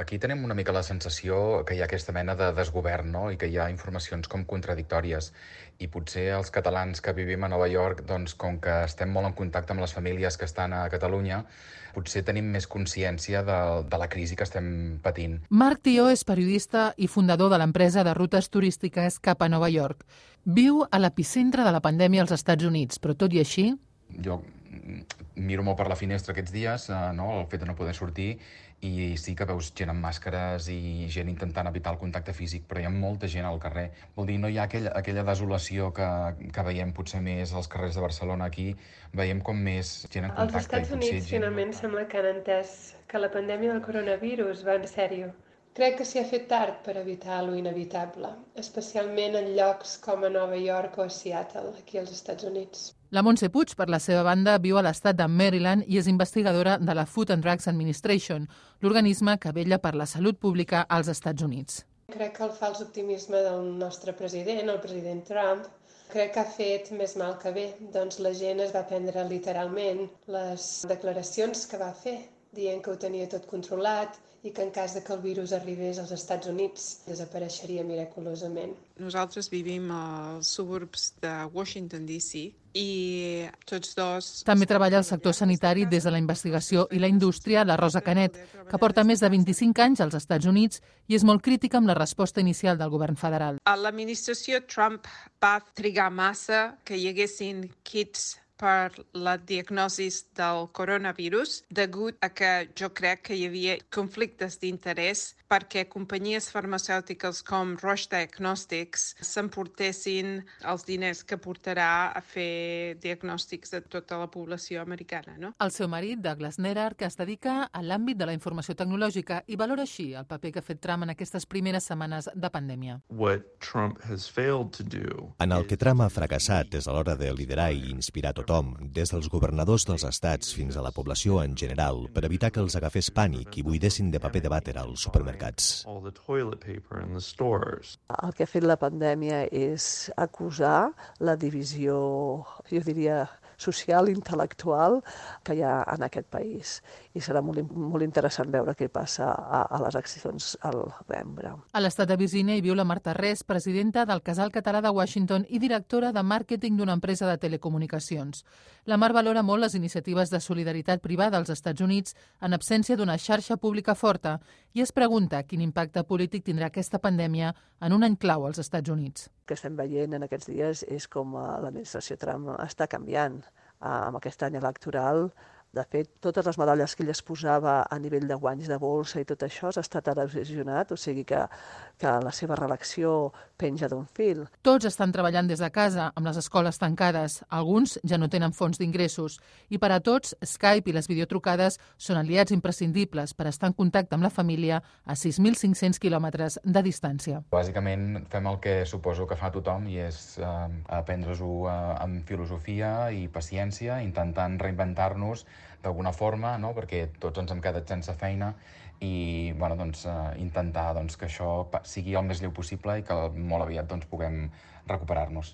Aquí tenim una mica la sensació que hi ha aquesta mena de desgovern, no? I que hi ha informacions com contradictòries. I potser els catalans que vivim a Nova York, doncs, com que estem molt en contacte amb les famílies que estan a Catalunya, potser tenim més consciència de la crisi que estem patint. Marc Tió és periodista i fundador de l'empresa de rutes turístiques Cap a Nova York. Viu a l'epicentre de la pandèmia als Estats Units, però tot i així... Jo miro molt per la finestra aquests dies, no? El fet de no poder sortir, i sí que veus gent amb màscares i gent intentant evitar el contacte físic, però hi ha molta gent al carrer. Vol dir, no hi ha aquella desolació que veiem potser més als carrers de Barcelona. Aquí veiem com més gent en contacte. Els Estats Units finalment sembla que han entès que la pandèmia del coronavirus va en sèrio. Crec que s'hi ha fet tard per evitar lo inevitable, especialment en llocs com a Nova York o a Seattle, aquí als Estats Units. La Montse Puig, per la seva banda, viu a l'estat de Maryland i és investigadora de la Food and Drugs Administration, l'organisme que vetlla per la salut pública als Estats Units. Crec que el fals optimisme del nostre president, el president Trump, crec que ha fet més mal que bé. Doncs la gent es va prendre literalment les declaracions que va fer, dient que ho tenia tot controlat i que en cas de que el virus arribés als Estats Units desapareixeria miraculosament. Nosaltres vivim als suburbs de Washington, D.C. i tots dos... També treballa al sector sanitari des de la investigació i la indústria la Rosa Canet, que porta més de 25 anys als Estats Units i és molt crítica amb la resposta inicial del govern federal. L'administració Trump va trigar massa que hi haguessin kits per la diagnosi del coronavirus, degut a que jo crec que hi havia conflictes d'interès perquè companyies farmacèutiques com Roche Diagnostics s'emportessin els diners que portarà a fer diagnòstics de tota la població americana. No? El seu marit, Douglas Nerar, que es dedica a l'àmbit de la informació tecnològica i valora així el paper que ha fet Trump en aquestes primeres setmanes de pandèmia. En el que Trump ha fracassat és a l'hora de liderar i inspirar tothom, des dels governadors dels estats fins a la població en general, per evitar que els agafés pànic i buidessin de paper de vàter als supermercats. El que ha fet la pandèmia és acusar la divisió, jo diria, social, intel·lectual que hi ha en aquest país. I serà molt interessant veure què passa a les accions al novembre. A l'estat de Virgínia hi viu la Marta Res, presidenta del Casal Català de Washington i directora de màrqueting d'una empresa de telecomunicacions. La Mar valora molt les iniciatives de solidaritat privada als Estats Units en absència d'una xarxa pública forta i es pregunta quin impacte polític tindrà aquesta pandèmia en un any clau als Estats Units. El que estem veient en aquests dies és com l'administració Trump està canviant amb aquest any electoral. De fet, totes les medalles que ell es posava a nivell de guanys de bolsa i tot això s'ha estat erosionat, o sigui que la seva reelecció penja d'un fil. Tots estan treballant des de casa, amb les escoles tancades. Alguns ja no tenen fonts d'ingressos. I per a tots, Skype i les videotrucades són aliats imprescindibles per estar en contacte amb la família a 6.500 quilòmetres de distància. Bàsicament fem el que suposo que fa tothom i és aprendre-s'ho amb filosofia i paciència, intentant reinventar-nos d'alguna forma, no? Perquè tots ens hem quedat sense feina i intentar que això sigui el més lleu possible i que molt aviat puguem recuperar-nos.